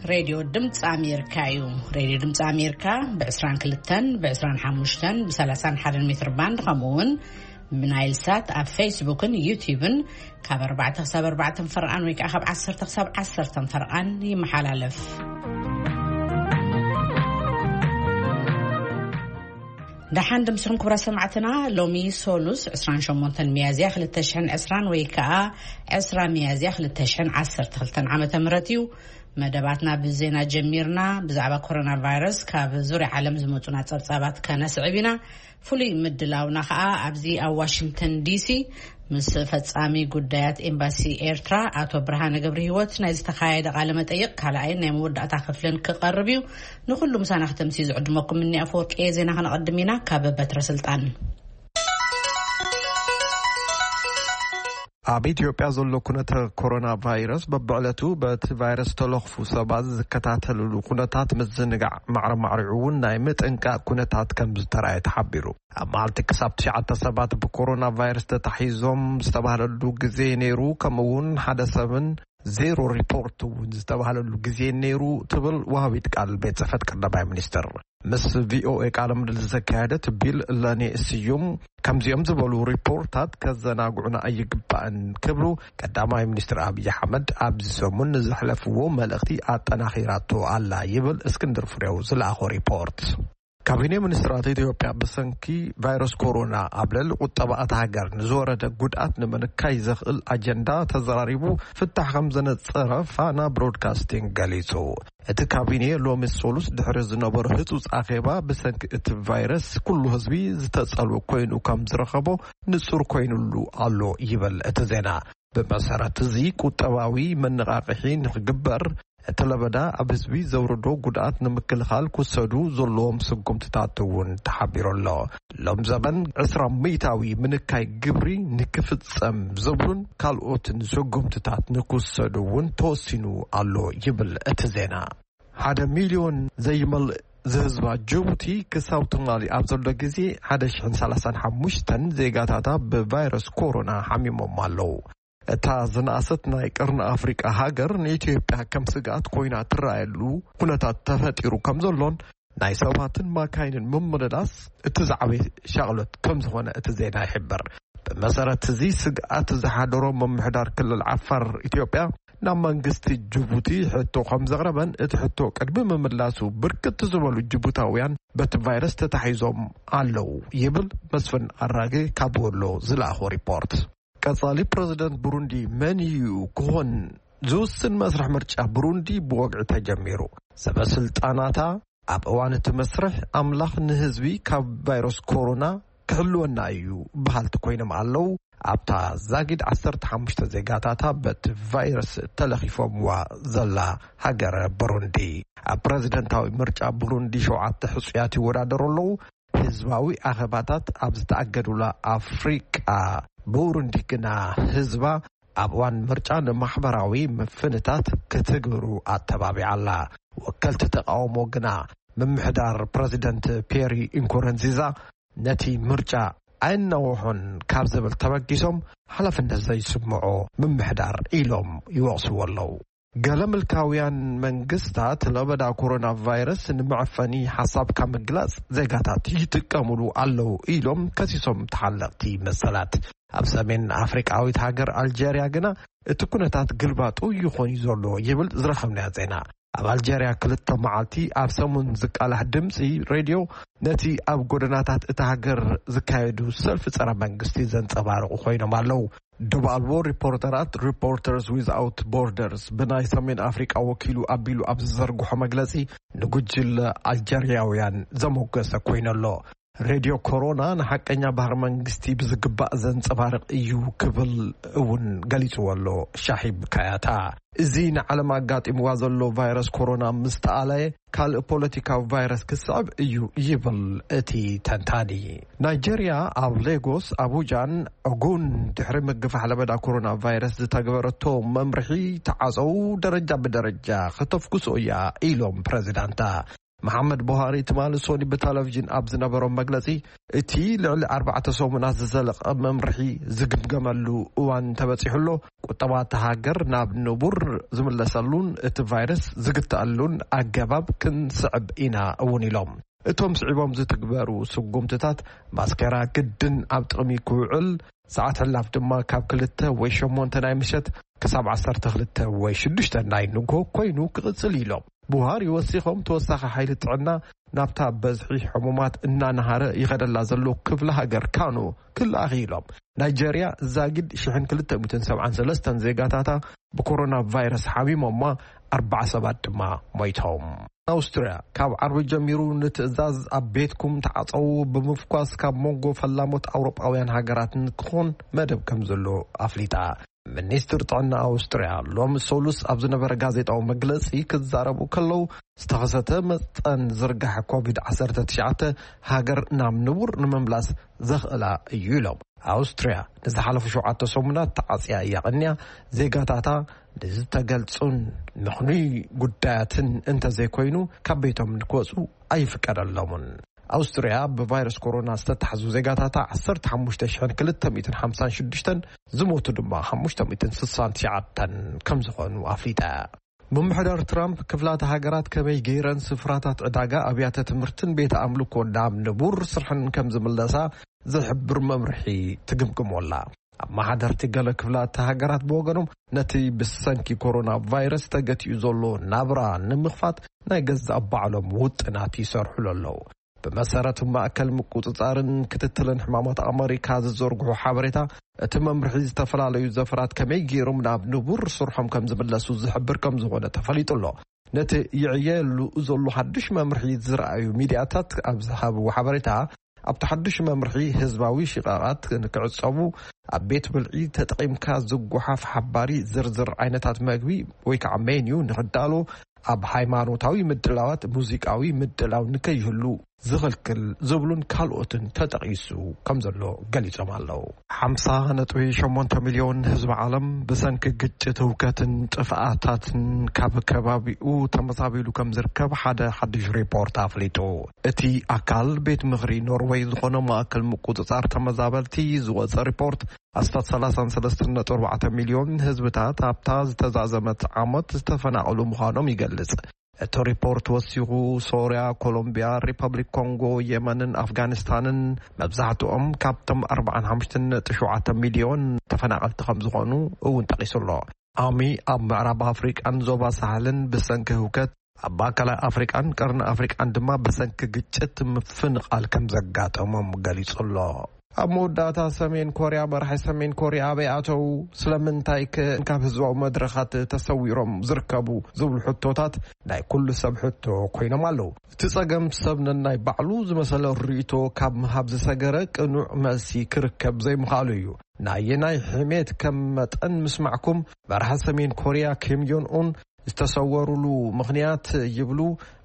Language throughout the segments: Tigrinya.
ሬድዮ ድምፂ ኣሜሪካ እዩ። ሬድዮ ድምፂ ኣሜሪካ ብ22፣ ብ25፣ ብ31 ሜትር ባንድ፣ ከምኡ እውን ብናይል ሳት ኣብ ፌስቡክን ዩቲዩብን ካብ 4 ክሳብ 4 ፈርቓን ወይ ከዓ ካብ 10 ክሳብ 10 ፈርቓን ይመሓላለፍ። ደሓን ድምስኹም ክብራ ሰማዕትና። ሎሚ ሶሉስ 28 ሚያዝያ 2020 ወይ ከዓ 20 ሚያዝያ 2012 ዓመተ ምህረት እዩ። መደባትና ብዜና ጀሚርና። ብዛዕባ ኮሮና ቫይረስ ካብ ዙርያ ዓለም ዝመፁና ፀብፃባት ከነስዕብ ኢና። ፍሉይ ምድላውና ከዓ ኣብዚ ኣብ ዋሽንግተን ዲሲ ምስ ፈጻሚ ጉዳያት ኤምባሲ ኤርትራ ኣቶ ብርሃነ ገብረ ህይወት ናይ ዝተኻየደ ቃለ መጠይቕ ካልኣይን ናይ መወዳእታ ክፍልን ክቐርብ እዩ። ንኹሉ ምሳና ክተምሲ ዝዕድመኩም እኒ ኣፈወርቂ እየ። ዜና ከነቐድም ኢና። ካብ በትረ ስልጣን። ኣብ ኢትዮጵያ ዘሎ ኩነተ ኮሮና ቫይረስ በብዕለቱ በቲ ቫይረስ ተለኽፉ ሰባት ዝከታተልሉ ኩነታት ምዝንጋዕ ማዕረ ማዕሪዑ እውን ናይ ምጥንቃቕ ኩነታት ከም ዝተራእየ ተሓቢሩ። ኣብ መዓልቲ ክሳብ ትሽዓተ ሰባት ብኮሮና ቫይረስ ተታሒዞም ዝተባህለሉ ግዜ ነይሩ፣ ከምኡ እውን ሓደ ሰብን ዜሮ ሪፖርት እውን ዝተባህለሉ ግዜ ነይሩ ትብል ወሃቢት ቃል ቤት ጽሕፈት ቀዳማይ ሚኒስትር። ምስ ቪኦኤ ቃለ ምልልስ ዘካየደት ቢል ለኔ ስዩም፣ ከምዚኦም ዝበሉ ሪፖርታት ከዘናግዑና ኣይግባእን ክብሉ ቀዳማይ ሚኒስትር ኣብይ ኣሕመድ ኣብዚ ሰሙን ንዘሕለፍዎ መልእኽቲ ኣጠናኺራቶ ኣላ ይብል እስክንድር ፍሬው ዝለኣኾ ሪፖርት። ካቢኔ ሚኒስትራት ኢትዮጵያ ብሰንኪ ቫይረስ ኮሮና ኣብ ልዕሊ ቁጠባ እታ ሃገር ንዝወረደ ጉድኣት ንምንካይ ዘኽእል ኣጀንዳ ተዘራሪቡ ፍታሕ ከም ዘነጸረ ፋና ብሮድካስቲንግ ገሊጹ። እቲ ካቢኔ ሎሚ ሶሉስ ድሕሪ ዝነበሮ ህጹጽ ኣኼባ ብሰንኪ እቲ ቫይረስ ኩሉ ህዝቢ ዝተጸልወ ኮይኑ ከም ዝረኸቦ ንጹር ኮይኑሉ ኣሎ ይብል እቲ ዜና። ብመሰረት እዚ ቁጠባዊ መነቓቕሒ ንኽግበር እቲ ለበዳ ኣብ ህዝቢ ዘውርዶ ጉድኣት ንምክልኻል ክወሰዱ ዘለዎም ስጉምትታት እውን ተሓቢሩ ኣሎ። ሎም ዘበን ዕስራ ሚእታዊ ምንካይ ግብሪ ንክፍጸም ዝብሉን ካልኦትን ስጉምትታት ንክወሰዱ እውን ተወሲኑ ኣሎ ይብል እቲ ዜና። ሓደ ሚልዮን ዘይመልእ ዝህዝባ ጅቡቲ ክሳብ ትማሊ ኣብ ዘሎ ግዜ 1,035 ዜጋታታ ብቫይረስ ኮሮና ሓሚሞም ኣለዉ። እታ ዝነኣሰት ናይ ቀርኒ ኣፍሪቃ ሃገር ንኢትዮጵያ ከም ስግኣት ኮይና ትረኣየሉ ኩነታት ተፈጢሩ ከም ዘሎን ናይ ሰባትን ማካይንን ምምልላስ እቲ ዝዓበየ ሻቕሎት ከም ዝኾነ እቲ ዜና ይሕብር። ብመሰረት እዚ ስግኣት ዝሓደሮ ምምሕዳር ክልል ዓፋር ኢትዮጵያ ናብ መንግስቲ ጅቡቲ ሕቶ ከም ዘቕረበን እቲ ሕቶ ቅድሚ ምምላሱ ብርክት ዝበሉ ጅቡታውያን በቲ ቫይረስ ተታሒዞም ኣለዉ ይብል መስፍን ኣራጌ ካብ ወሎ ዝለኣኾ ሪፖርት። ቀጻሊ ፕረዚደንት ብሩንዲ መን እዩ ክኾን ዝውስን መስርሕ ምርጫ ብሩንዲ ብወግዒ ተጀሚሩ። ሰበ ስልጣናታ ኣብ እዋን እቲ መስርሕ ኣምላኽ ንህዝቢ ካብ ቫይረስ ኮሮና ክሕልወና እዩ በሃልቲ ኮይኖም ኣለዉ። ኣብታ ዛጊድ 15 ዜጋታታ በቲ ቫይረስ ተለኺፎምዋ ዘላ ሃገር ብሩንዲ። ኣብ ፕረዚደንታዊ ምርጫ ብሩንዲ ሸውዓተ ሕጹያት ይወዳደሩ ኣለዉ። ህዝባዊ ኣኼባታት ኣብ ዝተኣገዱላ ኣፍሪቃ፣ ብሩንዲ ግና ህዝባ ኣብ እዋን ምርጫ ንማሕበራዊ ምፍንታት ክትግብሩ ኣተባቢዓ ኣላ። ወከልቲ ተቃውሞ ግና ምምሕዳር ፕረዚደንት ፒየሪ ኢንኮረንዚዛ ነቲ ምርጫ ኣይናውሖን ካብ ዝብል ተበጊሶም ሓላፍነት ዘይስምዖ ምምሕዳር ኢሎም ይወቕስዎ ኣለዉ። ገለ ምልካውያን መንግስታት ለበዳ ኮሮና ቫይረስ ንመዐፈኒ ሓሳብ ካብ ምግላጽ ዜጋታት ይጥቀሙሉ ኣለዉ ኢሎም ከሲሶም ተሓለቕቲ መሰላት። ኣብ ሰሜን ኣፍሪቃዊት ሃገር ኣልጀርያ ግና እቲ ኩነታት ግልባጡ ይኾን እዩ ዘሎ ይብል ዝረኸብናዮ ዜና። ኣብ ኣልጀርያ ክልተ መዓልቲ ኣብ ሰሙን ዝቃላሕ ድምፂ ሬድዮ ነቲ ኣብ ጎደናታት እታ ሃገር ዝካየዱ ሰልፊ ጸረ መንግስቲ ዘንጸባርቑ ኮይኖም ኣለዉ። ዶብ ኣልቦ ሪፖርተራት፣ ሪፖርተርስ ዊዝኣውት ቦርደርስ፣ ብናይ ሰሜን ኣፍሪቃ ወኪሉ ኣቢሉ ኣብ ዝዘርግሖ መግለጺ ንጉጅለ ኣልጀርያውያን ዘሞገሰ ኮይኑ ኣሎ። ሬድዮ ኮሮና ንሓቀኛ ባህሪ መንግስቲ ብዝግባእ ዘንጸባርቕ እዩ ክብል እውን ገሊጽዎ ኣሎ ሻሂብ ካያታ። እዚ ንዓለም ኣጋጢምዋ ዘሎ ቫይረስ ኮሮና ምስ ተኣለየ ካልእ ፖለቲካዊ ቫይረስ ክስዕብ እዩ ይብል እቲ ተንታኒ። ናይጀርያ ኣብ ሌጎስ፣ ኣቡጃን ኦጉን ድሕሪ ምግፋሕ ለበዳ ኮሮና ቫይረስ ዝተገበረቶ መምርሒ ተዓጸው ደረጃ ብደረጃ ከተፍኩሶ እያ ኢሎም ፕረዚዳንታ። መሓመድ ቡሃሪ ትማሊ ሶኒ ብቴሌቪዥን ኣብ ዝነበሮም መግለጺ፣ እቲ ልዕሊ ኣርባዕተ ሰሙናት ዝዘለቐ መምርሒ ዝግምገመሉ እዋን ተበጺሑ ኣሎ። ቁጠባ እታ ሃገር ናብ ንቡር ዝምለሰሉን እቲ ቫይረስ ዝግተኣሉን ኣገባብ ክንስዕብ ኢና እውን ኢሎም። እቶም ስዒቦም ዝትግበሩ ስጉምትታት፣ ማስኬራ ግድን ኣብ ጥቕሚ ክውዕል፣ ሰዓት ሕላፍ ድማ ካብ ክልተ ወይ ሸሞንተ ናይ ምሸት ክሳብ ዓሰርተ ክልተ ወይ ሽዱሽተ ናይ ንግሆ ኮይኑ ክቕጽል ኢሎም። ቡሃሪ ወሲኾም፣ ተወሳኺ ሓይሊ ጥዕና ናብታ በዝሒ ሕሙማት እናነሃረ ይኸደላ ዘሎ ክፍለ ሃገር ካኖ ክልኣኽ ኢሎም። ናይጀርያ ዛጊድ ሽሕን ክልተ ሚእትን ሰብዓን ሰለስተን ዜጋታታ ብኮሮና ቫይረስ ሓሚሞማ፣ ኣርባዓ ሰባት ድማ ሞይቶም። ኣውስትርያ ካብ ዓርቢ ጀሚሩ ንትእዛዝ ኣብ ቤትኩም ተዓጸዉ ብምፍኳስ ካብ መንጎ ፈላሞት ኣውሮጳውያን ሃገራት ንክኾን መደብ ከም ዘሎ ኣፍሊጣ። ሚኒስትር ጥዕና ኣውስትርያ ሎሚ ሰሉስ ኣብ ዝነበረ ጋዜጣዊ መግለጺ ክዛረቡ ከለዉ፣ ዝተኸሰተ መጠን ዝርጋሐ ኮቪድ ዓሰርተ ትሽዓተ ሃገር ናብ ንቡር ንምምላስ ዘኽእላ እዩ ኢሎም። ኣውስትርያ ንዝሓለፉ ሸውዓተ ሰሙናት ተዓጽያ እያ ቀንያ። ዜጋታታ ንዝተገልጹን ምኽኑይ ጉዳያትን እንተዘይኮይኑ ካብ ቤቶም ንክወጹ ኣይፍቀደሎምን። ኣውስትርያ ብቫይረስ ኮሮና ዝተታሕዙ ዜጋታታ ዓሰርተ ሓሙሽተ ሽሕን ክልተ ሚእትን ሓምሳን ሽዱሽተን፣ ዝሞቱ ድማ ሓሙሽተ ሚእትን ስሳን ትሽዓተን ከም ዝኾኑ ኣፍሊጣ። ምምሕዳር ትራምፕ ክፍላተ ሃገራት ከመይ ገይረን ስፍራታት ዕዳጋ፣ ኣብያተ ትምህርትን ቤት ኣምልኮ ናብ ንቡር ስርሐን ከም ዝምለሳ ዝሕብር መምርሒ ትግምግሞ ኣላ። ኣመሓደርቲ ገለ ክፍላተ ሃገራት ብወገኖም፣ ነቲ ብሰንኪ ኮሮና ቫይረስ ተገቲኡ ዘሎ ናብራ ንምኽፋት ናይ ገዛእ ባዕሎም ውጥናት ይሰርሑሉ ኣለዉ። ብመሰረት ማእከል ምቁጽጻርን ክትትልን ሕማማት ኣመሪካ ዝዘርግሑ ሓበሬታ፣ እቲ መምርሒ ዝተፈላለዩ ዘፈራት ከመይ ገይሮም ናብ ንቡር ስርሖም ከም ዝምለሱ ዝሕብር ከም ዝኾነ ተፈሊጡ ኣሎ። ነቲ ይዕየሉ ዘሎ ሓድሽ መምርሒ ዝረኣዩ ሚድያታት ኣብ ዝሃብዎ ሓበሬታ፣ ኣብቲ ሓድሽ መምርሒ ህዝባዊ ሽቓቓት ንክዕጸቡ፣ ኣብ ቤት ብልዒ ተጠቒምካ ዝጓሓፍ ሓባሪ ዝርዝር ዓይነታት መግቢ ወይ ከዓ ሜንዩ ንክዳሎ፣ ኣብ ሃይማኖታዊ ምድላዋት ሙዚቃዊ ምድላው ንከይህሉ ዝኽልክል ዝብሉን ካልኦትን ተጠቒሱ ከም ዘሎ ገሊጾም ኣለዉ። ሓምሳ ነጥቢ ሸሞንተ ሚልዮን ህዝቢ ዓለም ብሰንኪ ግጭት፣ ህውከትን ጥፍኣታትን ካብ ከባቢኡ ተመዛቢሉ ከም ዝርከብ ሓደ ሓድሽ ሪፖርት ኣፍሊጡ። እቲ ኣካል ቤት ምኽሪ ኖርወይ ዝኾነ ማእከል ምቁጽጻር ተመዛበልቲ ዝወጸ ሪፖርት፣ ኣስታት ሰላሳን ሰለስተን ነጥቢ ኣርባዕተ ሚልዮን ህዝብታት ኣብታ ዝተዛዘመት ዓመት ዝተፈናቐሉ ምዃኖም ይገልጽ። እቲ ሪፖርት ወሲኹ፣ ሶርያ፣ ኮሎምቢያ፣ ሪፐብሊክ ኮንጎ፣ የመንን ኣፍጋኒስታንን፣ መብዛሕትኦም ካብቶም ኣርባዓን ሓሙሽተን ነጥቢ ሸውዓተ ሚልዮን ተፈናቐልቲ ከም ዝኾኑ እውን ጠቒሱ ኣሎ። ኣሚ ኣብ ምዕራብ ኣፍሪቃን ዞባ ሳሕልን ብሰንኪ ህውከት፣ ኣብ ማእከላይ ኣፍሪቃን ቀርኒ ኣፍሪቃን ድማ ብሰንኪ ግጭት ምፍንቓል ከም ዘጋጠሞም ገሊጹ ኣሎ። ኣብ መወዳእታ፣ ሰሜን ኮርያ፣ መራሒ ሰሜን ኮርያ ኣበይ ኣተው? ስለምንታይ ከ ካብ ህዝባዊ መድረኻት ተሰዊሮም ዝርከቡ ዝብሉ ሕቶታት ናይ ኩሉ ሰብ ሕቶ ኮይኖም ኣለዉ። እቲ ጸገም፣ ሰብ ነናይ ባዕሉ ዝመሰለ ርእይቶ ካብ ምሃብ ዝሰገረ ቅኑዕ መልሲ ክርከብ ዘይምኽኣሉ እዩ። ናየናይ ሕሜት ከም መጠን ምስማዕኩም፣ መራሒ ሰሜን ኮርያ ኪም ዮን ኡን ዝተሰወሩሉ ምኽንያት ይብሉ።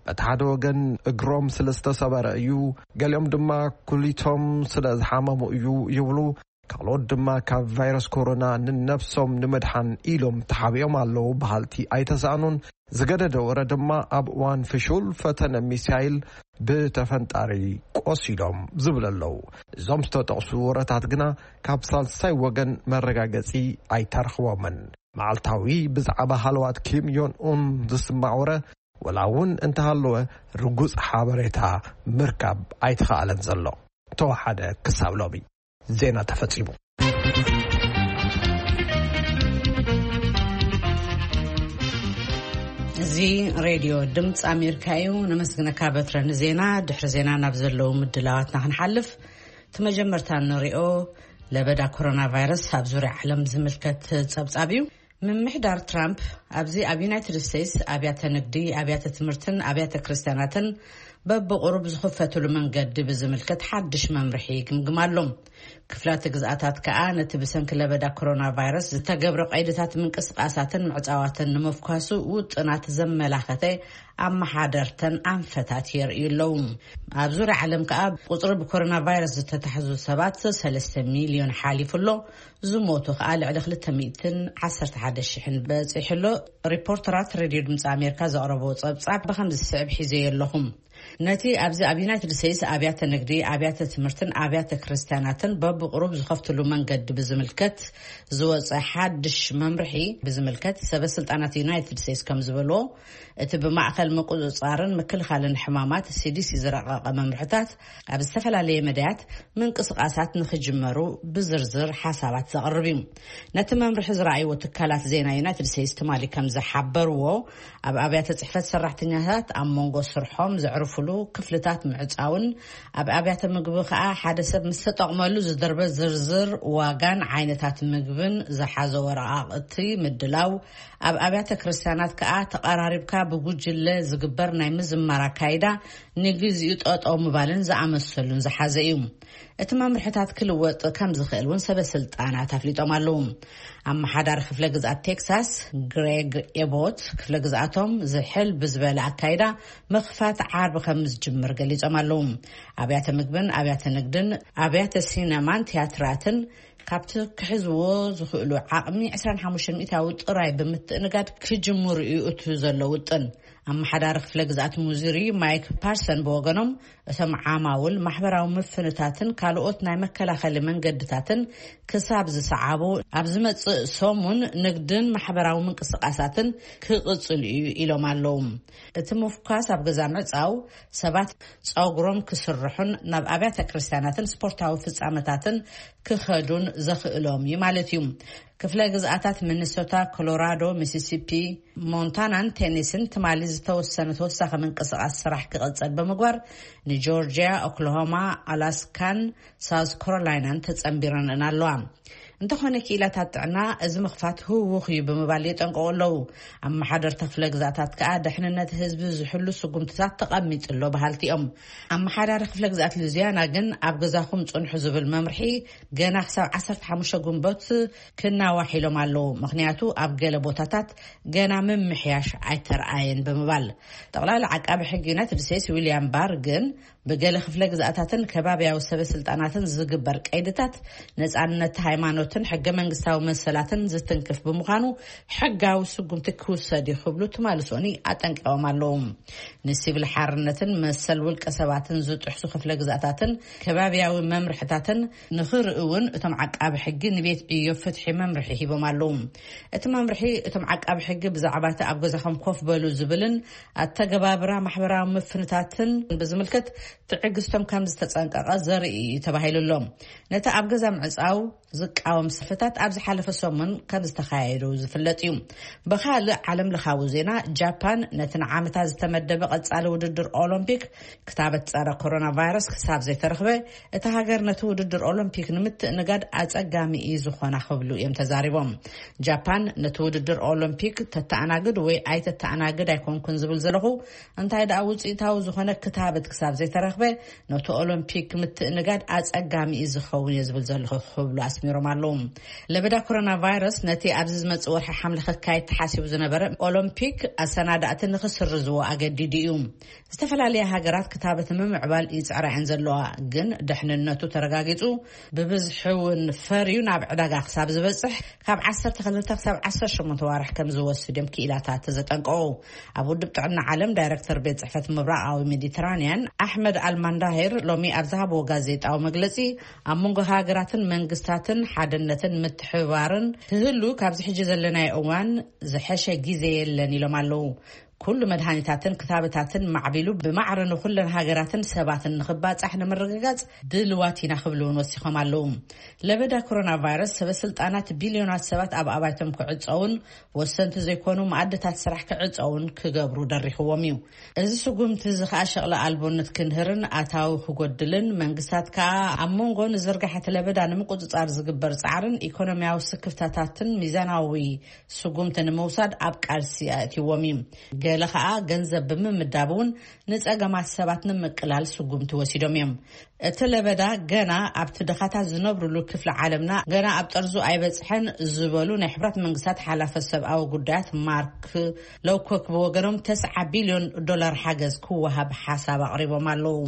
በቲ ሓደ ወገን እግሮም ስለ ዝተሰበረ እዩ፣ ገሊኦም ድማ ኩሊቶም ስለ ዝሓመሙ እዩ ይብሉ። ካልኦት ድማ ካብ ቫይረስ ኮሮና ንነብሶም ንምድሓን ኢሎም ተሓቢኦም ኣለዉ በሃልቲ ኣይተሳእኑን። ዝገደደ ወረ ድማ ኣብ እዋን ፍሹል ፈተነ ሚሳይል ብተፈንጣሪ ቆሲሎም ዝብል ኣለዉ። እዞም ዝተጠቕሱ ወረታት ግና ካብ ሳልሳይ ወገን መረጋገጺ ኣይተረኽቦምን። መዓልታዊ ብዛዕባ ሃለዋት ኪም ዮን ኡን ዝስማዕ ወረ፣ ወላ እውን እንተሃለወ፣ ርጉጽ ሓበሬታ ምርካብ ኣይተኻእለን ዘሎ። ተወሓደ ክሳብ ሎሚ። ዜና ተፈጺሙ። እዚ ሬድዮ ድምፂ ኣሜሪካ እዩ። ነመስግነካ በትረ ንዜና። ድሕሪ ዜና ናብ ዘለዉ ምድላዋትና ክንሓልፍ፣ እቲ መጀመርታ እንሪኦ ለበዳ ኮሮና ቫይረስ ኣብ ዙርያ ዓለም ዝምልከት ጸብጻብ እዩ። ምምሕዳር ትራምፕ ኣብዚ ኣብ ዩናይትድ ስቴትስ ኣብያተ ንግዲ፣ ኣብያተ ትምህርትን ኣብያተ ክርስትያናትን በብቕሩብ ዝኽፈትሉ መንገዲ ብዝምልከት ሓድሽ መምርሒ ይግምግም ኣሎ። ክፍላተ ግዝኣታት ከኣ ነቲ ብሰንኪ ለበዳ ኮሮና ቫይረስ ዝተገብረ ቀይድታት ምንቅስቃሳትን ምዕጻዋትን ንምፍኳሱ ውጥናት ዘመላኸተ ኣመሓደርተን ኣንፈታት የርእዩ ኣለዉ። ኣብ ዙርያ ዓለም ከኣ ቁጽሪ ብኮሮና ቫይረስ ዝተታሕዙ ሰባት ሰለስተ ሚልዮን ሓሊፉ ኣሎ። ዝሞቱ ከኣ ልዕሊ ክልተ ሚእትን ዓሰርተ ሓደ ሽሕን በጺሑ ኣሎ። ሪፖርተራት ሬድዮ ድምፂ ኣሜሪካ ዘቕረቦ ጸብጻብ ብኸምዚ ዝስዕብ ሒዘዮ ኣለኹም። ነቲ ኣብዚ ኣብ ዩናይትድ ስቴትስ ኣብያተ ንግዲ፣ ኣብያተ ትምህርትን ኣብያተ ክርስቲያናትን በብቕሩብ ዝኸፍትሉ መንገዲ ብዝምልከት ዝወፀ ሓድሽ መምርሒ ብዝምልከት ሰበ ስልጣናት ዩናይትድ ስቴትስ ከም ዝበልዎ፣ እቲ ብማእኸል ምቁፅፃርን ምክልኻልን ሕማማት ሲዲሲ ዝረቐቐ መምርሕታት ኣብ ዝተፈላለየ መዳያት ምንቅስቃሳት ንኽጅመሩ ብዝርዝር ሓሳባት ዘቕርብ እዩ። ነቲ መምርሒ ዝረኣይዎ ትካላት ዜና ዩናይትድ ስቴትስ ትማሊ ከም ዝሓበርዎ፣ ኣብ ኣብያተ ጽሕፈት ሰራሕተኛታት ኣብ መንጎ ስርሖም ዘዕርፍሉ ክፍልታት ምዕጻውን፣ ኣብ ኣብያተ ምግቢ ከኣ ሓደ ሰብ ምስ ተጠቕመሉ ዝድርበ ዝርዝር ዋጋን ዓይነታት ምግብን ዝሓዘ ወረቓቕቲ ምድላው፣ ኣብ ኣብያተ ክርስቲያናት ከኣ ተቐራሪብካ ብጉጅለ ዝግበር ናይ ምዝማር ኣካይዳ ንግዚኡ ጠጠው ምባልን ዝኣመሰሉን ዝሓዘ እዩ። እቲ መምርሕታት ክልወጥ ከም ዝኽእል እውን ሰበ ስልጣናት ኣፍሊጦም ኣለዉ። ኣመሓዳሪ ክፍለ ግዝኣት ቴክሳስ ግሬግ ኤቦት፣ ክፍለ ግዝኣቶም ዝሕል ብዝበለ ኣካይዳ ምኽፋት ዓርቢ ከም ዝጅምር ገሊጾም ኣለዉ። ኣብያተ ምግብን ኣብያተ ንግድን ኣብያተ ሲነማን ቲያትራትን ካብቲ ክሕዝዎ ዝኽእሉ ዓቕሚ ዕስራን ሓሙሽተን ሚእታዊ ጥራይ ብምትእንጋድ ክጅምሩ እዩ እቲ ዘሎ ውጥን። ኣመሓዳሪ ክፍለ ግዝኣት ሙዙሪ ማይክ ፓርሰን ብወገኖም፣ እቶም ዓማውል ማሕበራዊ ምፍንታትን ካልኦት ናይ መከላኸሊ መንገድታትን ክሳብ ዝሰዓቡ፣ ኣብ ዝመጽእ ሰሙን ንግድን ማሕበራዊ ምንቅስቃሳትን ክቕጽል እዩ ኢሎም ኣለዉ። እቲ ምፍኳስ ኣብ ገዛ ምዕጻው፣ ሰባት ጸጉሮም ክስርሑን ናብ ኣብያተ ክርስቲያናትን ስፖርታዊ ፍጻመታትን ክኸዱን ዘኽእሎም እዩ ማለት እዩ። ክፍለ ግዝኣታት ሚኒሶታ፣ ኮሎራዶ፣ ሚሲሲፒ፣ ሞንታናን ቴኒስን ትማሊ ዝተወሰነ ተወሳኺ ምንቅስቃስ ስራሕ ክቕጽል ብምግባር፣ ንጆርጂያ፣ ኦክላሆማ፣ ኣላስካን ሳውዝ ካሮላይናን ተጸንቢረን ኣለዋ። እንተኾነ፣ ክኢላታት ጥዕና እዚ ምኽፋት ህውኽ እዩ ብምባል የጠንቅቑ ኣለዉ። ኣመሓደርቲ ክፍለ ግዝኣታት ከኣ ድሕንነት ህዝቢ ዝሕሉ ስጉምትታት ተቐሚጡ ኣሎ በሃልቲ እዮም። ኣመሓዳሪ ክፍለ ግዝኣት ሉዚያና ግን ኣብ ገዛኹም ጽንሑ ዝብል መምርሒ ገና ክሳብ ዓሰርተ ሓሙሽተ ግንቦት ክናዋሕ ኢሎም ኣለዉ። ምኽንያቱ ኣብ ገለ ቦታታት ገና ምምሕያሽ ኣይተረኣየን ብምባል። ጠቕላሊ ዓቃቢ ሕጊ ዩናይትድ ስቴትስ ዊልያም ባር ግን ብገለ ክፍለ ግዝኣታትን ከባቢያዊ ሰበ ስልጣናትን ዝግበር ቀይድታት ነጻነት ሃይማኖትን ሕገ መንግስታዊ መሰላትን ዝትንክፍ ብምዃኑ ሕጋዊ ስጉምቲ ክውሰድ እዩ ክብሉ ትማሊ ሶኒ ኣጠንቂቖም ኣለዉ። ንሲቪል ሓርነትን መሰል ውልቀ ሰባትን ዝጥሕሱ ክፍለ ግዝኣታትን ከባቢያዊ መምርሕታትን ንኽርኢ እውን እቶም ዓቃቢ ሕጊ ንቤት ዕዮ ፍትሒ መምርሒ ሂቦም ኣለዉ። እቲ መምርሒ እቶም ዓቃቢ ሕጊ ብዛዕባ እቲ ኣብ ገዛኹም ኮፍ በሉ ዝብልን ኣተገባብራ ማሕበራዊ ምፍንታትን ብዝምልከት ትዕግስቶም ከም ዝተጸንቀቐ ዘርኢ እዩ ተባሂሉ ኣሎ። ነቲ ኣብ ገዛ ምዕጻው ዝቃወም ሰልፍታት ኣብ ዝሓለፈ ሰሙን ከም ዝተኻየዱ ዝፍለጥ እዩ። ብኻልእ ዓለም ለኻዊ ዜና፣ ጃፓን ነቲ ንዓመታ ዝተመደበ ቀጻሊ ውድድር ኦሎምፒክ ክታበት ጸረ ኮሮና ቫይረስ ክሳብ ዘይተረኽበ፣ እታ ሃገር ነቲ ውድድር ኦሎምፒክ ንምትእንጋድ ኣጸጋሚ እዩ ዝኾና ክብሉ እዮም ተዛሪቦም። ጃፓን ነቲ ውድድር ኦሎምፒክ ተተኣናግድ ወይ ኣይተተኣናግድ ኣይኮንኩን ዝብል ዘለኹ፣ እንታይ ደኣ ውጽኢታዊ ዝኾነ ክታበት ክሳብ ዘይተረኽበ፣ ነቲ ኦሎምፒክ ምትእንጋድ ኣጸጋሚ እዩ ዝኸውን እየ ዝብል ዘለኹ ክብሉ ኣስሚሮም ኣለዉ። ለበዳ ኮሮና ቫይረስ ነቲ ኣብዚ ዝመጽእ ወርሒ ሓምለ ክካየድ ተሓሲቡ ዝነበረ ኦሎምፒክ ኣሰናዳእቲ ንኽስርዝዎ ኣገዲዱ እዩ። ዝተፈላለያ ሃገራት ክታበት ንምምዕባል ይጽዕራ እየን ዘለዋ፣ ግን ድሕንነቱ ተረጋጊጹ ብብዝሒ እውን ፈርዩ ናብ ዕዳጋ ክሳብ ዝበጽሕ ካብ ዓሰርተ ክልተ ክሳብ ዓሰርተ ሸሞንተ ዋርሕ ከም ዝወስድ እዮም ክኢላታት ዘጠንቀቑ። ኣብ ውድብ ጥዕና ዓለም ዳይረክተር ቤት ጽሕፈት ምብራቓዊ ሜዲትራንያን ኣሕመድ ኣልማንዳሄር ሎሚ ኣብ ዝሃብዎ ጋዜጣዊ መግለጺ፣ ኣብ መንጎ ሃገራትን መንግስታትን ሓድነትን ምትሕብባርን ክህሉ ካብዚ ሕጂ ዘለናዮ እዋን ዝሐሸ ግዜ የለን ኢሎም ኣለዉ። ኩሉ መድሃኒታትን ክታበታትን ማዕቢሉ ብማዕረ ንኩለን ሃገራትን ሰባትን ንኽባጻሕ ንምርግጋጽ ድልዋት ኢና ክብሉ እውን ወሲኾም ኣለዉ። ለበዳ ኮሮና ቫይረስ ሰበ ስልጣናት ቢልዮናት ሰባት ኣብ ኣባይቶም ክዕጸውን ወሰንቲ ዘይኮኑ መኣድታት ስራሕ ክዕጸውን ክገብሩ ደሪኽዎም እዩ። እዚ ስጉምቲ እዚ ከኣ ሸቕሊ ኣልቦነት ክንህርን ኣታዊ ክጎድልን መንግስታት ከኣ ኣብ መንጎ ንዝርጋሐ እቲ ለበዳ ንምቁጽጻር ዝግበር ጻዕርን ኢኮኖሚያዊ ስክፍታታትን ሚዛናዊ ስጉምቲ ንምውሳድ ኣብ ቃልሲ ኣእትይዎም እዩ። ገለ ኸኣ ገንዘብ ብምምዳብ እውን ንጸገማት ሰባት ንምቅላል ስጉምቲ ወሲዶም እዮም። እቲ ለበዳ ገና ኣብቲ ድኻታት ዝነብሩሉ ክፍሊ ዓለምና ገና ኣብ ጠርዙ ኣይበጽሐን ዝበሉ ናይ ሕብራት መንግስታት ሓላፈ ሰብኣዊ ጉዳያት ማርክ ሎውኮክ ብወገኖም ተስዓ ቢልዮን ዶላር ሓገዝ ክወሃብ ሓሳብ ኣቕሪቦም ኣለዉ።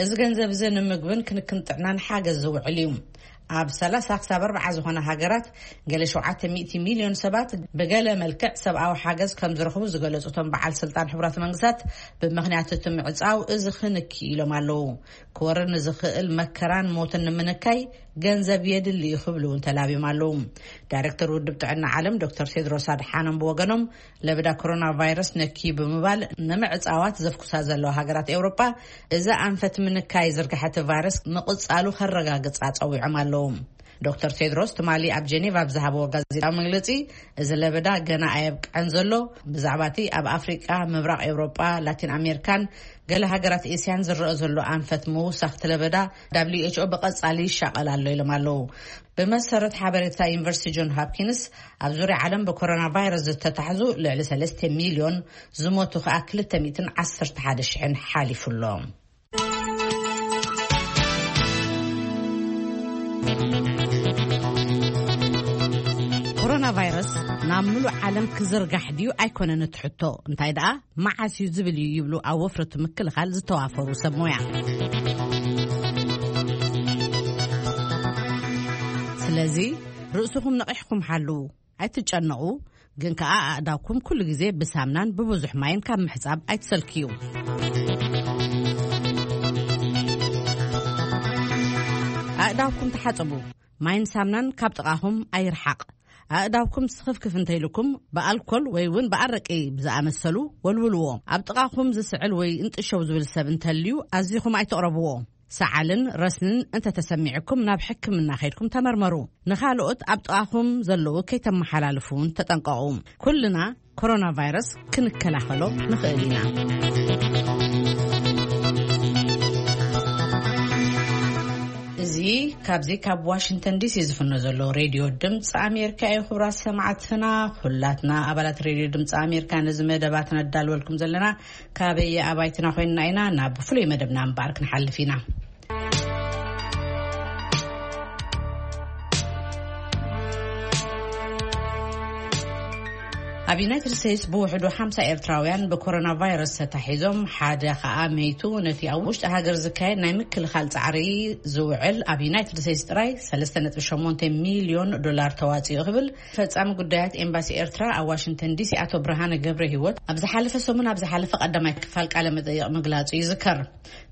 እዚ ገንዘብ እዚ ንምግብን ክንክን ጥዕናን ሓገዝ ዝውዕል እዩ። ኣብ ሰላሳ ክሳብ ኣርባዓ ዝኾና ሃገራት ገለ ሸውዓተ ሚእቲ ሚልዮን ሰባት ብገለ መልክዕ ሰብኣዊ ሓገዝ ከም ዝረኽቡ ዝገለጹ እቶም በዓል ስልጣን ሕቡራት መንግስታት፣ ብምኽንያት እቲ ምዕጻው እዚ ክንኪ ኢሎም ኣለዉ። ክወርድ ንዝኽእል መከራን ሞትን ንምንካይ ገንዘብ የድሊ እዩ ክብሉ እውን ተላብዮም ኣለዉ። ዳይሬክተር ውድብ ጥዕና ዓለም ዶክተር ቴድሮስ ኣድሓኖም ብወገኖም፣ ለበዳ ኮሮና ቫይረስ ነኪ ብምባል ንምዕጻዋት ዘፍኩሳ ዘለዋ ሃገራት ኤውሮጳ፣ እዚ ኣንፈት ምንካይ ዝርግሐቲ ቫይረስ ምቕጻሉ ከረጋግጻ ጸዊዖም ኣለዉ። ዶክተር ቴድሮስ ትማሊ ኣብ ጀኔቫ ኣብ ዝሃብዎ ጋዜጣዊ መግለጺ፣ እዚ ለበዳ ገና ኣየብቅዐን ዘሎ፣ ብዛዕባ እቲ ኣብ ኣፍሪቃ፣ ምብራቕ ኤውሮጳ፣ ላቲን ኣሜሪካን ገለ ሃገራት ኤስያን ዝረአ ዘሎ ኣንፈት ምውሳኽቲ ለበዳ፣ ደብሊው ኤች ኦ ብቐጻሊ ይሻቐል ኣሎ ኢሎም ኣለዉ። ብመሰረት ሓበሬታ ዩኒቨርሲቲ ጆን ሆፕኪንስ፣ ኣብ ዙርያ ዓለም ብኮሮና ቫይረስ ዝተታሕዙ ልዕሊ ሰለስተ ሚልዮን፣ ዝሞቱ ከኣ ክልተ ሚእትን ዓሰርተ ሓደ ሽሕን ሓሊፉ ኣሎ። ኮሮና ቫይረስ ናብ ምሉእ ዓለም ክዝርጋሕ ድዩ ኣይኮነን እቲ ሕቶ፣ እንታይ ደኣ መዓስ እዩ ዝብል እዩ ይብሉ ኣብ ወፍሪ እቲ ምክልኻል ዝተዋፈሩ ሰብ ሞያ። ስለዚ ርእስኹም ነቒሕኩም ሓልዉ፣ ኣይትጨነቑ፣ ግን ከኣ ኣእዳውኩም ኩሉ ግዜ ብሳምናን ብብዙሕ ማይን ካብ ምሕጻብ ኣይትሰልክዩ። ኣእዳውኩም ተሓጸቡ፣ ማይን ሳምናን ካብ ጥቓኹም ኣይርሓቕ። ኣእዳውኩም ስኽፍክፍ እንተይልኩም ብኣልኮል ወይ እውን ብኣረቂ ብዝኣመሰሉ ወልውልዎ። ኣብ ጥቓኹም ዝስዕል ወይ እንጥሸው ዝብል ሰብ እንተልዩ ኣዚኹም ኣይትቕረብዎ። ሰዓልን ረስንን እንተተሰሚዕኩም ናብ ሕክምና ከይድኩም ተመርመሩ። ንኻልኦት ኣብ ጥቓኹም ዘለዉ ከይተመሓላልፉ እውን ተጠንቀቑ። ኩልና ኮሮና ቫይረስ ክንከላኸሎ ንኽእል ኢና። እዚ ካብዚ ካብ ዋሽንግተን ዲሲ ዝፍኖ ዘሎ ሬድዮ ድምፂ ኣሜሪካ እዩ። ክቡራት ሰማዕትና፣ ኩላትና ኣባላት ሬድዮ ድምፂ ኣሜሪካ ነዚ መደባት ነዳልወልኩም ዘለና ካበየ ኣባይትና ኮይንና ኢና። ናብ ፍሉይ መደብና እምበኣር ክንሓልፍ ኢና። ኣብ ዩናይትድ ስቴትስ ብውሕዱ ሓምሳ ኤርትራውያን ብኮሮና ቫይረስ ተታሒዞም፣ ሓደ ኸኣ መይቱ። ነቲ ኣብ ውሽጢ ሃገር ዝካየድ ናይ ምክልኻል ጻዕሪ ዝውዕል ኣብ ዩናይትድ ስቴትስ ጥራይ ሰለስተ ነጥቢ ሸሞንተ ሚልዮን ዶላር ተዋጺኡ ክብል ፈጻሚ ጉዳያት ኤምባሲ ኤርትራ ኣብ ዋሽንግተን ዲሲ ኣቶ ብርሃነ ገብረ ህይወት ኣብ ዝሓለፈ ሰሙን ኣብ ዝሓለፈ ቀዳማይ ክፋል ቃለ መጠይቕ ምግላጹ ይዝከር።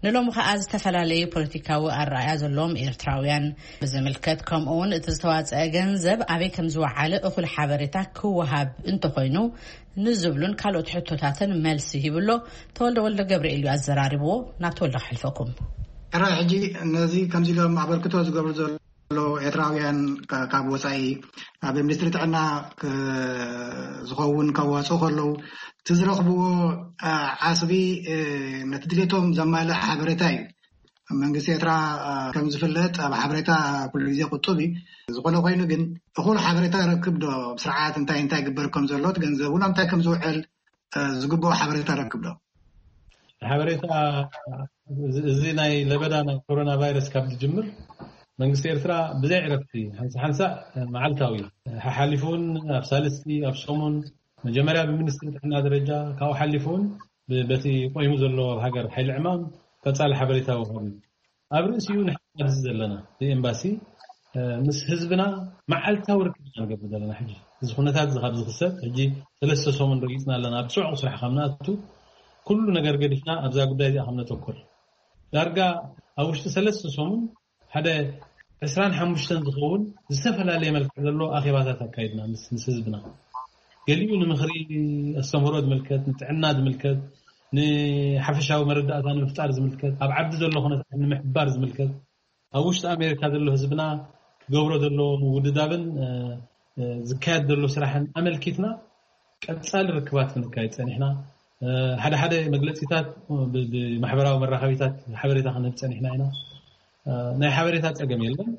ንሎሚ ኸኣ ዝተፈላለዩ ፖለቲካዊ ኣረኣእያ ዘለዎም ኤርትራውያን ብዝምልከት፣ ከምኡ እውን እቲ ዝተዋጸአ ገንዘብ ኣበይ ከም ዝወዓለ እኹል ሓበሬታ ክወሃብ እንተኾይኑ ንዝብሉን ካልኦት ሕቶታትን መልሲ ሂብሎ ተወልደ ወልደ ገብርኤል እዩ ኣዘራሪብዎ። ናብ ተወልደ ክሕልፈኩም። ሕራይ ሕጂ ነዚ ከምዚ ኢሎም ኣበርክቶ ዝገብሩ ዘሎ ኤርትራውያን ካ-፣ ካብ ወጻኢ ኣብ ሚኒስትሪ ጥዕና ክ-፣ ዝኸውን ከዋጽኡ ከለዉ እቲ ዝረኽብዎ፣ አ፣ ዓስቢ፣ እ፣ ነቲ ድሌቶም ዘማልእ ሓበሬታ እዩ። መንግስቲ ኤርትራ፣ አ፣ ከም ዝፍለጥ ኣብ ሓበሬታ ኩሉ ግዜ ቁጡብ እዩ። ዝኾነ ኮይኑ ግን እኹል ሓበሬታ ረክብ ዶ? ስርዓት እንታይ እንታይ ግበር ከም ዘሎ፣ እቲ ገንዘብ እውን ኣብ እንታይ ከም ዝውዕል፣ አ፣ ዝግብኦ ሓበሬታ ረክብ ዶ? ሓበሬታ እዚ፣ እዚ ናይ ለበዳ ናይ ኮሮና ቫይረስ ካብ ዝጅምር መንግስቲ ኤርትራ ብዘይ ዕረፍቲ ሓንሳ ሓንሳ መዓልታዊ ሓሓሊፉ እውን ኣብ ሳልስቲ፣ ኣብ ሰሙን መጀመርያ ብሚኒስትሪ ጥዕና ደረጃ፣ ካብኡ ሓሊፉ እውን ብ-፣ በቲ ቆይሙ ዘሎ ኣብ ሃገር ሓይሊ ዕማም ቀጻሊ ሓበሬታ ወሃቢ። ኣብ ርእሲኡ ንሕና ኣብዚ ዘለና ብኤምባሲ፣ እ፣ ምስ ህዝብና መዓልታዊ ርክብ ኢና ንገብር ዘለና። ሕጂ እዚ ኩነታት እዚ ካብ ዝኽሰት ሕጂ ሰለስተ ሰሙን ረጊጽና ኣለና። ኣብ ጽዑቕ ስራሕ ካብ ንኣቱ ኩሉ ነገር ገዲፍና ኣብዛ ጉዳይ እዚኣ ከም ነተኩር። ዳርጋ ኣብ ውሽጢ ሰለስተ ሰሙን ሓደ ዕስራን ሓሙሽተን ዝኸውን ዝተፈላለየ መልክዕ ዘለዎ ኣኼባታት ኣካይድና ምስ፣ ምስ ህዝብና። ገሊኡ ንምኽሪ ኣስተምህሮ ዝምልከት፣ ንጥዕና ዝምልከት፣ ንሓፈሻዊ መረዳእታ ንምፍጣር ዝምልከት፣ ኣብ ዓዲ ዘሎ ኩነታት ንምሕባር ዝምልከት፣ ኣብ ውሽጢ ኣሜሪካ ዘሎ ህዝብና ክገብሮ ዘለዎ ምውድዳብን፣ እ፣ እ፣ ዝካየድ ዘሎ ስራሕን ኣመልኪትና ቀጻሊ ርክባት ክንካየድ ጸኒሕና። እ፣ ሓደ ሓደ መግለጺታት ብ-፣ ብማሕበራዊ መራኸቢታት ሓበሬታ ክንህብ ጸኒሕና ኢና። እ፣ ናይ ሓበሬታ ጸገም የለን።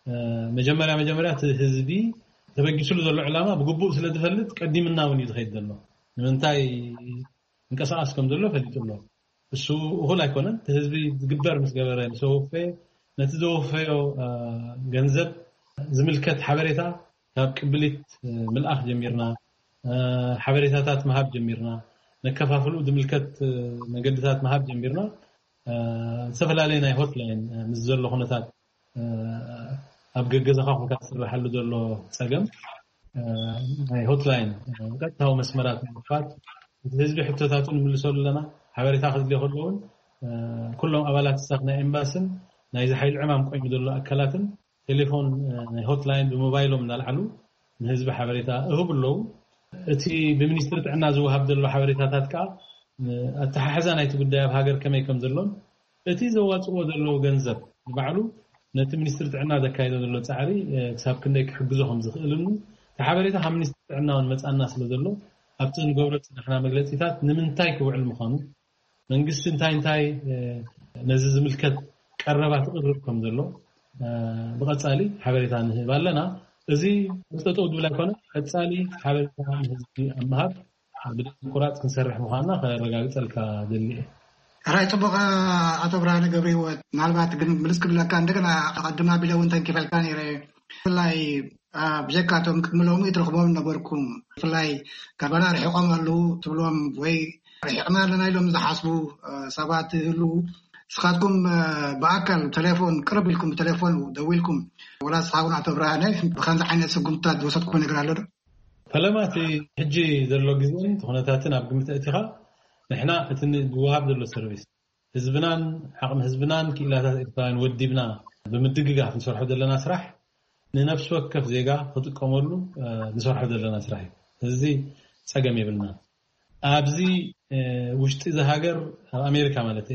እ፣ መጀመርያ መጀመርያ እቲ ህዝቢ ተበጊስሉ ዘሎ ዕላማ ብግቡእ ስለ ዝፈልጥ ቀዲምና እውን እዩ ዝኸይድ ዘሎ። ንምንታይ እንቀሳቐስ ከም ዘሎ ፈሊጡ ኣሎ። እሱ እኹል ኣይኮነን። እቲ ህዝቢ ዝግበር ምስ ገበረ፣ ምስ ወፈየ፣ ነቲ ዘወፈዮ ገንዘብ ዝምልከት ሓበሬታ ካብ ቅብሊት ምልኣኽ ጀሚርና፣ ሓበሬታታት ምሃብ ጀሚርና፣ ነከፋፍሉ ዝምልከት መገድታት ምሃብ ጀሚርና። ዝተፈላለየ ናይ ሆትላይን ምስ ዘሎ ኩነታት ኣብ ገገዛኻ ኮንካ ትስርሓሉ ዘሎ ጸገም፣ ናይ ሆትላይን ቀጥታዊ መስመራት ንምክፋት፣ እቲ ህዝቢ ሕቶታቱ ንምልሰሉ ኣለና። ሓበሬታ ክድልዮ ከሎ እውን ኩሎም ኣባላት ስታፍ ናይ ኤምባስን ናይዚ ሓይሊ ዕማም ቆይሙ ዘሎ ኣካላትን ቴሌፎን ናይ ሆትላይን ብሞባይሎም እናልዓሉ ንህዝቢ ሓበሬታ እህቡ ኣለዉ። እቲ ብሚኒስትሪ ጥዕና ዝወሃብ ዘሎ ሓበሬታታት ከዓ ኣተሓሕዛ ናይቲ ጉዳይ ኣብ ሃገር ከመይ ከም ዘሎን እቲ ዘዋፅዎ ዘለዉ ገንዘብ ንባዕሉ ነቲ ሚኒስትሪ ጥዕና ዘካየዶ ዘሎ ፃዕሪ ክሳብ ክንደይ ክሕግዞ ከም ዝኽእልን እቲ ሓበሬታ ካብ ሚኒስትሪ ጥዕና እውን መፃና ስለ ዘሎ ኣብቲ ንገብሮ ዝፀናሕና መግለፂታት ንምንታይ ክውዕል ምዃኑ መንግስቲ እንታይ እንታይ ነዚ ዝምልከት ቀረባ ትቕርብ ከም ዘሎ ብቐፃሊ ሓበሬታ ንህብ ኣለና። እዚ ጠጠው ድብል ኣይኮነ፣ ቀፃሊ ሓበሬታ ንህዝቢ ኣብ ምሃብ ብደም ቁራፅ ክንሰርሕ ምዃንና ከረጋግፀልካ ደሊ እየ። ሕራይ ፅቡቕ። ኣቶ ብርሃነ ገብረ ህይወት፣ ምናልባት ግን ምልስ ክብለካ እንደገና ኣቐድማ ቢለ እውን ተንኪፈልካ ነይረ። ብፍላይ ብጀካቶም ቅድሚ ሎሚ ትረኽቦም ነበርኩም። ብፍላይ ካባና ርሒቖም ኣለዉ ትብሎም ወይ ርሒቕና ኣለና ኢሎም ዝሓስቡ ሰባት ይህልዉ። ንስኻትኩም ብኣካል ቴሌፎን ቅርብ ኢልኩም ብቴሌፎን ደዊልኩም ወላ ንስኻ እውን ኣቶ ብርሃነ ብከምዚ ዓይነት ስጉምትታት ዝወሰድኩም ነገር ኣሎ ዶ? ፈለማ እቲ ሕጂ ዘሎ ግዜን እቲ ኩነታትን ኣብ ግምት ኣእቲኻ ንሕና እቲ ዝወሃብ ዘሎ ሰርቪስ ህዝብናን ዓቕሚ ህዝብናን ክኢላታት ኤርትራውያን ወዲብና ብምድግጋፍ ንሰርሖ ዘለና ስራሕ ንነፍሲ ወከፍ ዜጋ ክጥቀመሉ ንሰርሖ ዘለና ስራሕ እዩ። እዚ ጸገም የብልና። ኣብዚ ውሽጢ እዚ ሃገር ኣብ ኣሜሪካ ማለት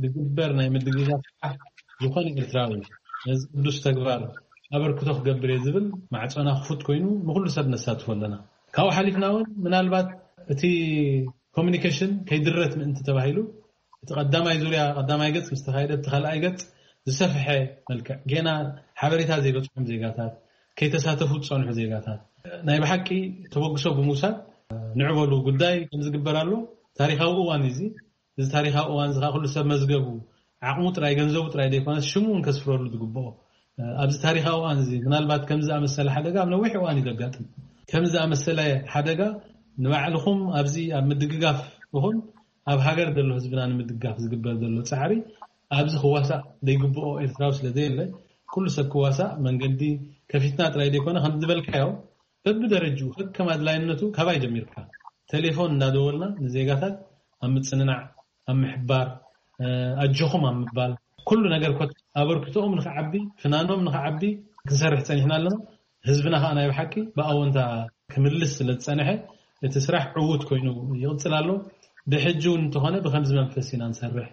ዝግበር ናይ ምድግጋፍ ስራሕ ዝኾነ ኤርትራዊ ነዚ ቅዱስ ተግባር ኣበርክቶ ክገብር እየ ዝብል ማዕፆና ክፉት ኮይኑ ንኩሉ ሰብ ነሳትፎ ኣለና። ካብኡ ሓሊፍና እውን ምናልባት እቲ ኮሚኒኬሽን ከይድረት ምእንቲ ተባሂሉ እቲ ቀዳማይ ዙርያ ቀዳማይ ገጽ ምስ ተኻየደ እቲ ካልኣይ ገጽ ዝሰፍሐ መልክዕ ጌና ሓበሬታ ዘይበጽሖም ዜጋታት ከይተሳተፉ ዝጸንሑ ዜጋታት ናይ ብሓቂ ተበግሶ ብምውሳድ ንዕበሉ ጉዳይ ከም ዝግበር ኣሎ። ታሪኻዊ እዋን እዚ እዚ ታሪኻዊ እዋን እዚ ኩሉ ሰብ መዝገቡ ዓቕሙ ጥራይ ገንዘቡ ጥራይ ዘይኮነስ ሽሙ እውን ከስፍረሉ ዝግብኦ ኣብዚ ታሪኻዊ እዋን እዚ ምናልባት ከምዚ ኣመሰለ ሓደጋ ኣብ ነዊሕ እዋን እዩ ዘጋጥም። ከምዚ ኣመሰለ ሓደጋ ንባዕልኹም ኣብዚ ኣብ ምድግጋፍ ይኹን ኣብ ሃገር ዘሎ ህዝብና ንምድጋፍ ዝግበር ዘሎ ፃዕሪ ኣብዚ ክዋሳእ ዘይግብኦ ኤርትራዊ ስለ ዘየለ ኩሉ ሰብ ክዋሳእ መንገዲ ከፊትና ጥራይ ዘይኮነ ከም ዝበልካዮ በብደረጅኡ ከከም ኣድላይነቱ ካባይ ጀሚርካ ቴሌፎን እናደወልና ንዜጋታት ኣብ ምፅንናዕ ኣብ ምሕባር ኣጆኹም ኣብ ምባል ኩሉ ነገር ኮ ኣበርክቶኦም ንክዓቢ ፍናኖም ንክዓቢ ክንሰርሕ ፀኒሕና ኣለና። ህዝብና ከዓ ናይ ብሓቂ ብኣወንታ ክምልስ ስለ ዝፀንሐ እቲ ስራሕ ዕዉት ኮይኑ ይቕፅል ኣሎ። ብሕጂ እውን እንተኾነ ብከምዚ መንፈስ ኢና ንሰርሕ።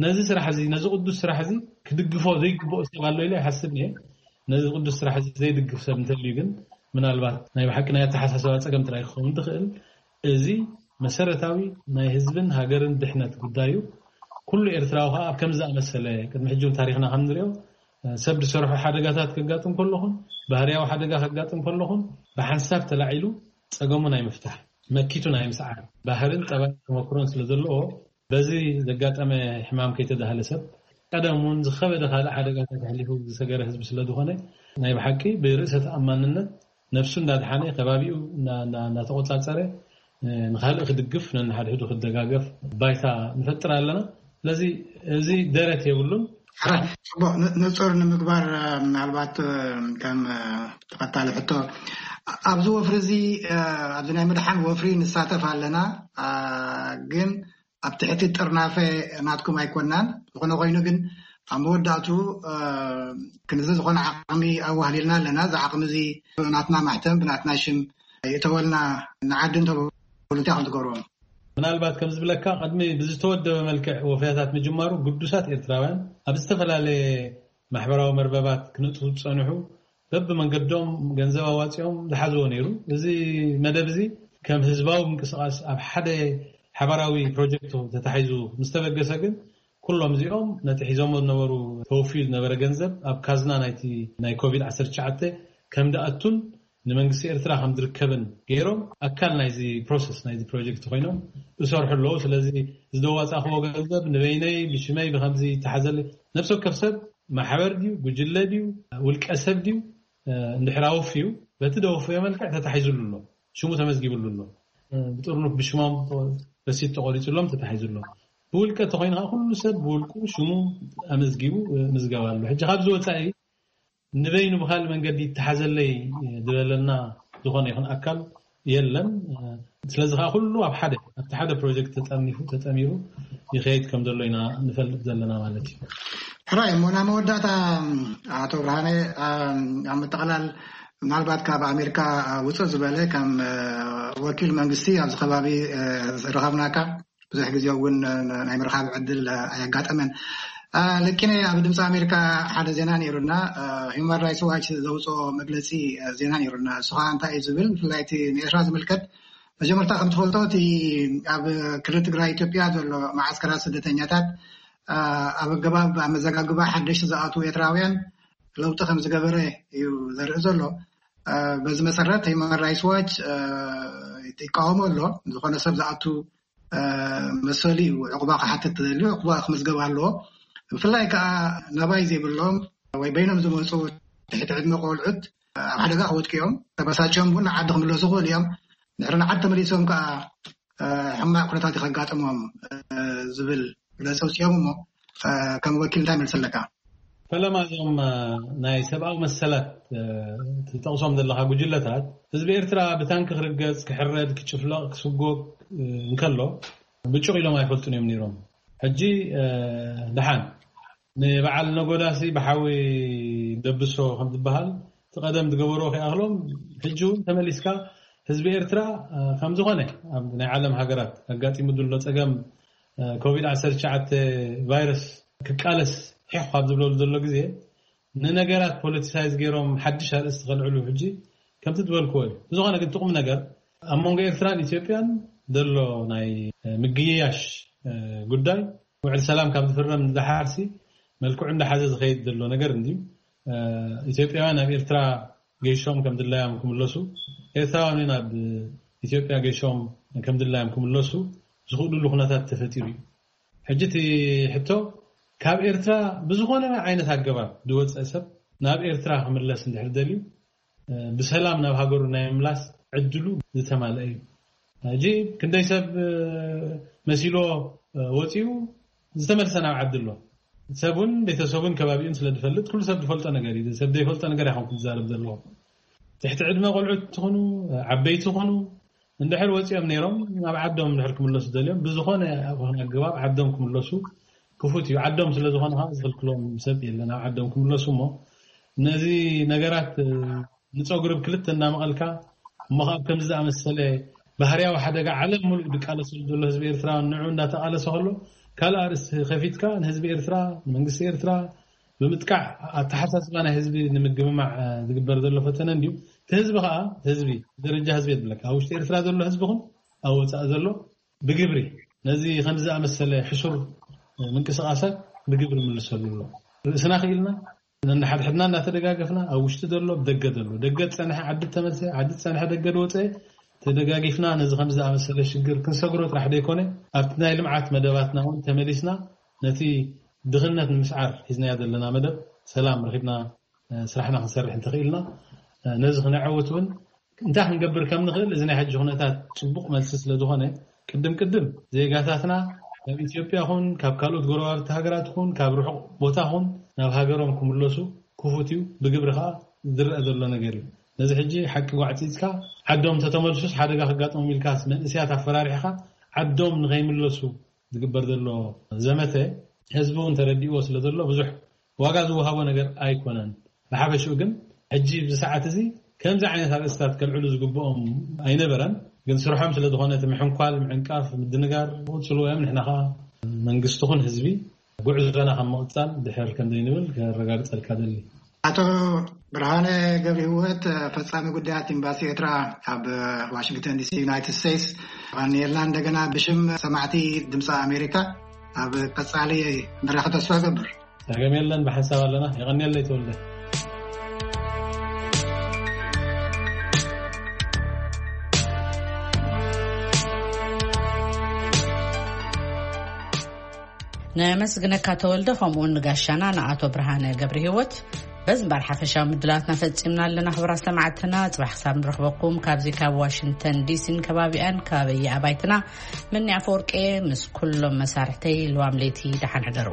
ነዚ ስራሕ እዚ ነዚ ቅዱስ ስራሕ እዚ ክድግፎ ዘይግብኦ ሰብ ኣሎ ኢለ ይሓስብ እየ። ነዚ ቅዱስ ስራሕ እዚ ዘይድግፍ ሰብ እንተልዩ ግን ምናልባት ናይ ብሓቂ ናይ ኣተሓሳሰባ ፀገም ጥራይ ክኸውን ትኽእል። እዚ መሰረታዊ ናይ ህዝብን ሃገርን ድሕነት ጉዳይ እዩ። ኩሉ ኤርትራዊ ከዓ ኣብ ከምዚ ዝኣመሰለ ቅድሚ ሕጂ እውን ታሪኽና ከም ንሪኦ ሰብ ዝሰርሖ ሓደጋታት ከጋጥም ከለኹን ባህርያዊ ሓደጋ ከጋጥም ከለኹን ብሓንሳብ ተላዒሉ ፀገሙ ናይ ምፍታሕ መኪቱ ናይ ምስዓር ባህርን ጠባይ ተመክሮን ስለ ዘለዎ በዚ ዘጋጠመ ሕማም ከይተዳህለ ሰብ ቀደም እውን ዝኸበደ ካልእ ሓደጋታት ኣሕሊፉ ዝሰገረ ህዝቢ ስለ ዝኾነ ናይ ብሓቂ ብርእሰ ተኣማንነት ነብሱ እንዳድሓነ ከባቢኡ እንዳተቆፃፀረ ንካልእ ክድግፍ ነንሓድሕዱ ክደጋገፍ ባይታ ንፈጥር ኣለና። ስለዚ እዚ ደረት የብሉን። ሕራይ ፅቡቅ ንፁር ንምግባር ምናልባት ከም ተኸታሊ ሕቶ ኣብዚ ወፍሪ እዚ ኣብዚ ናይ ምድሓን ወፍሪ ንሳተፍ ኣለና ግን ኣብ ትሕቲ ጥርናፈ ናትኩም ኣይኮናን። ዝኾነ ኮይኑ ግን ኣብ መወዳእቱ ክንዚ ዝኾነ ዓቕሚ ኣዋህሊልና ኣለና። እዚ ዓቕሚ እዚ ብናትና ማሕተም ብናትና ሽም ይእተወልና ንዓዲ እንተበሉ እንታይ ከም ትገብርዎም? ምናልባት ከም ዝብለካ ቅድሚ ብዝተወደበ መልክዕ ወፈያታት ምጅማሩ ግዱሳት ኤርትራውያን ኣብ ዝተፈላለየ ማሕበራዊ መርበባት ክነጥፉ ዝጸንሑ በብመንገዶም ገንዘብ ኣዋጺኦም ዝሓዝዎ ነይሩ። እዚ መደብ እዚ ከም ህዝባዊ ምንቅስቓስ ኣብ ሓደ ሓባራዊ ፕሮጀክት ተታሒዙ ምስ ተበገሰ ግን ኩሎም እዚኦም ነቲ ሒዞሞ ዝነበሩ ተወፍዩ ዝነበረ ገንዘብ ኣብ ካዝና ናይቲ ናይ ኮቪድ ዓሰርተ ትሽዓተ ከም ዝኣቱን ንመንግስቲ ኤርትራ ከም ዝርከብን ገይሮም ኣካል ናይዚ ፕሮሰስ ናይዚ ፕሮጀክት ኮይኖም ይሰርሑ ኣለዉ። ስለዚ ዝደዋፃእክዎ ገንዘብ ንበይነይ ብሽመይ ብከምዚ ይተሓዘለይ ነብሲ ወከፍ ሰብ ማሕበር ድዩ ጉጅለ ድዩ ውልቀ ሰብ ድዩ እንድሕር ኣወፍዩ በቲ ደወፍዮ መልክዕ ተታሒዙሉ ኣሎ፣ ሽሙ ተመዝጊብሉ ኣሎ። ብጥርኑፍ ብሽሞም ረሲት ተቆሪፅሎም ተታሒዙ ኣሎ። ብውልቀ ተኮይኑ ከዓ ኩሉ ሰብ ብውልቁ ሽሙ ኣመዝጊቡ ምዝገባ ኣሎ። ሕጂ ካብዚ ወፃኢ ንበይኑ ብካልእ መንገዲ ይተሓዘለይ ዝበለና ዝኾነ ይኹን ኣካል የለን። ስለዚ ከዓ ኩሉ ኣብ ሓደ ኣብቲ ሓደ ፕሮጀክት ተጠርኒፉ ተጠሚሩ ይኸይድ ከም ዘሎ ኢና ንፈልጥ ዘለና ማለት እዩ። ሕራይ እሞ ናብ መወዳእታ ኣቶ ብርሃነ ኣብ ምጥቕላል ምናልባት ካብ ኣሜሪካ ውፅእ ዝበለ ከም ወኪል መንግስቲ ኣብዚ ከባቢ ዝረኸብናካ ብዙሕ ግዜ እውን ናይ ምርኻብ ዕድል ኣየጋጠመን። ልኪነ ኣብ ድምፂ ኣሜሪካ ሓደ ዜና ነይሩና፣ ሂማን ራይትስ ዋች ዘውፅኦ መግለፂ ዜና ነይሩና። እሱ ከዓ እንታይ እዩ ዝብል ብፍላይ እቲ ንኤርትራ ዝምልከት መጀመርታ ከም ትፈልጦ እቲ ኣብ ክልል ትግራይ ኢትዮጵያ ዘሎ መዓስከራት ስደተኛታት ኣብ ኣገባብ ኣመዘጋግባ ሓደሽቲ ዝኣትዉ ኤርትራውያን ለውጢ ከም ዝገበረ እዩ ዘርኢ ዘሎ። በዚ መሰረት ሂማን ራይትስ ዋች ይቃወሞ ኣሎ። ዝኾነ ሰብ ዝኣቱ መሰሉ እዩ ዕቁባ ክሓትት ተደልዩ ዕቁባ ክምዝገብ ኣለዎ። ብፍላይ ከዓ ነባይ ዘይብሎም ወይ በይኖም ዝመፁ ትሕቲ ዕድመ ቆልዑት ኣብ ሓደጋ ክወድቁ እዮም። ተበሳጭዮም እውን ንዓዲ ክምለሱ ክኽእሉ እዮም። ድሕሪ ንዓዲ ተመሊሶም ከዓ ሕማቅ ኩነታት ከጋጥሞም ዝብል መግለፂ ኣውፂኦም እሞ ከም ወኪል እንታይ መልሲ ኣለካ? ፈለማ እዞም ናይ ሰብኣዊ መሰላት ትጠቕሶም ዘለካ ጉጅለታት ህዝቢ ኤርትራ ብታንኪ ክርገፅ ክሕረድ ክጭፍለቕ ክስጎግ እንከሎ ብጭቕ ኢሎም ኣይፈልጡን እዮም ነይሮም። ሕጂ ደሓን ንበዓል ነጎዳሲ ብሓዊ ደብሶ ከም ዝበሃል እቲ ቀደም ዝገበርዎ ከይኣኽሎም ሕጂ እውን ተመሊስካ ህዝቢ ኤርትራ ከም ዝኾነ ኣብ ናይ ዓለም ሃገራት ኣጋጢሙ ዘሎ ፀገም ኮቪድ ዓሰርተ ትሽዓተ ቫይረስ ክቃለስ ሒኽ ካብ ዝብለሉ ዘሎ ግዜ ንነገራት ፖለቲሳይዝ ገይሮም ሓድሽ ኣርእስቲ ከልዕሉ ሕጂ ከምቲ ዝበልክዎ እዩ። ብዝኾነ ግን ትቑም ነገር ኣብ መንጎ ኤርትራን ኢትዮጵያን ዘሎ ናይ ምግይያሽ ጉዳይ ውዕል ሰላም ካብ ዝፍረም ዝደሓርሲ መልክዑ እንዳሓዘ ዝኸይድ ዘሎ ነገር እንድዩ። ኢትዮጵያውያን ኣብ ኤርትራ ገይሾም ከም ድላዮም ክምለሱ፣ ኤርትራውያን ናብ ኢትዮጵያ ገይሾም ከም ድላዮም ክምለሱ ዝኽእሉሉ ኩነታት ተፈጢሩ እዩ። ሕጂ እቲ ሕቶ ካብ ኤርትራ ብዝኾነ ዓይነት ኣገባብ ዝወፀ ሰብ ናብ ኤርትራ ክምለስ እንድሕር ደልዩ ብሰላም ናብ ሃገሩ ናይ ምምላስ ዕድሉ ዝተማልአ እዩ። ሕጂ ክንደይ ሰብ መሲሎ ወፂኡ ዝተመልሰ ናብ ዓዲ ኣሎ። ሰብን ቤተሰቡን ከባቢኡን ስለ ዝፈልጥ ኩሉ ሰብ ዝፈልጦ ነገር እዩ። ሰብ ዘይፈልጦ ነገር ኣይኮንኩ ዝዛረብ ዘለኹ። ትሕቲ ዕድመ ቆልዑት ትኹኑ ዓበይቲ ትኹኑ እንድሕር ወፂኦም ነይሮም ናብ ዓዶም እንድሕር ክምለሱ ደልዮም ብዝኾነ ኣግባብ ዓዶም ክምለሱ ክፉት እዩ። ዓዶም ስለ ዝኾነ ከዓ ዝኽልክሎም ሰብ የለን ኣብ ዓዶም ክምለሱ። እሞ ነዚ ነገራት ንፀጉሪ ብክልተ እናመቐልካ እሞ ካብ ከምዚ ዝኣመሰለ ባህርያዊ ሓደጋ ዓለም ሙሉእ ዝቃለሰሉ ዘሎ ህዝቢ ኤርትራ ንዑ እንዳተቃለሰ ከሎ ካልእ ኣርእስቲ ከፊትካ ንህዝቢ ኤርትራ ንመንግስቲ ኤርትራ ብምጥቃዕ ኣተሓሳስባ ናይ ህዝቢ ንምግምማዕ ዝግበር ዘሎ ፈተነ እንድዩ። እቲ ህዝቢ ከዓ ህዝቢ ደረጃ ህዝቢ የድለካ ኣብ ውሽጢ ኤርትራ ዘሎ ህዝቢ ኹን ኣብ ወፃኢ ዘሎ ብግብሪ ነዚ ከምዚ ዝኣመሰለ ሕሱር ምንቅስቃሳት ብግብሪ ምልሰሉ ኣሎ። ርእስና ክኢልና ነንሓድሕድና እናተደጋገፍና ኣብ ውሽጢ ዘሎ ደገ ዘሎ ደገ ዝፀንሐ ዓዲ ተመልሰ ዓዲ ዝፀንሐ ደገ ዝወፀ ተደጋጊፍና ነዚ ከምዚ ዝኣመሰለ ሽግር ክንሰግሮ ጥራሕ ዘይኮነ ኣብቲ ናይ ልምዓት መደባትና እውን ተመሊስና ነቲ ድኽነት ንምስዓር ሒዝናዮ ዘለና መደብ ሰላም ረኺብና ስራሕና ክንሰርሕ እንተኽኢልና ነዚ ክነዐውት እውን እንታይ ክንገብር ከም ንኽእል እዚ ናይ ሕጂ ኩነታት ፅቡቕ መልሲ ስለ ዝኾነ ቅድም ቅድም ዜጋታትና ካብ ኢትዮጵያ ኹን ካብ ካልኦት ጎረባብቲ ሃገራት ኹን ካብ ርሑቕ ቦታ ኹን ናብ ሃገሮም ክምለሱ ክፉት እዩ። ብግብሪ ከዓ ዝረአ ዘሎ ነገር እዩ። ነዚ ሕጂ ሓቂ ጓዕፂፅካ ዓዶም ተተመልሱስ ሓደጋ ክጋጥሞም ኢልካስ መንእስያት ኣፈራሪሕካ ዓዶም ንኸይምለሱ ዝግበር ዘሎ ዘመተ ህዝቢ እውን ተረዲእዎ ስለ ዘሎ ብዙሕ ዋጋ ዝወሃቦ ነገር ኣይኮነን። ብሓፈሽኡ ግን ሕጂ ብዚ ሰዓት እዚ ከምዚ ዓይነት ኣርእስታት ከልዕሉ ዝግብኦም ኣይነበረን። ግን ስርሖም ስለ ዝኾነ እቲ ምሕንኳል ምዕንቃፍ ምድንጋር ክቕፅሉ እዮም። ንሕና ከዓ መንግስቲ ኹን ህዝቢ ጉዕዞና ካብ ምቕፃል ድሕር ከም ዘይንብል ከረጋግፀልካ ደሊ። ኣቶ ብርሃነ ገብረ ህይወት ፈፃሚ ጉዳያት ኤምባሲ ኤርትራ ኣብ ዋሽንግተን ዲሲ ዩናይትድ ስቴትስ ኣቐንየልና። እንደገና ብሽም ሰማዕቲ ድምፂ ኣሜሪካ ኣብ ቀፃሊ ንራኸብ ተስፋ እገብር። ጸገም የለን ብሓንሳብ ኣለና። የቐንየለይ ተወልደ። ነመስግነካ ተወልደ፣ ከምኡውን ንጋሻና ንኣቶ ብርሃነ ገብረ ህይወት። በዚ እምበር ሓፈሻዊ ምድላትና ፈጺምና ኣለና። ክቡራት ሰማዕትና፣ ጽባሕ ክሳብ ንረኽበኩም ካብዚ ካብ ዋሽንግተን ዲሲን ከባቢኣን፣ ከባቢ ኣባይትና፣ ምኒ ኣፈወርቄ ምስ ኩሎም መሳርሕተይ ልዋም ለይቲ ደሓን ሕደሩ።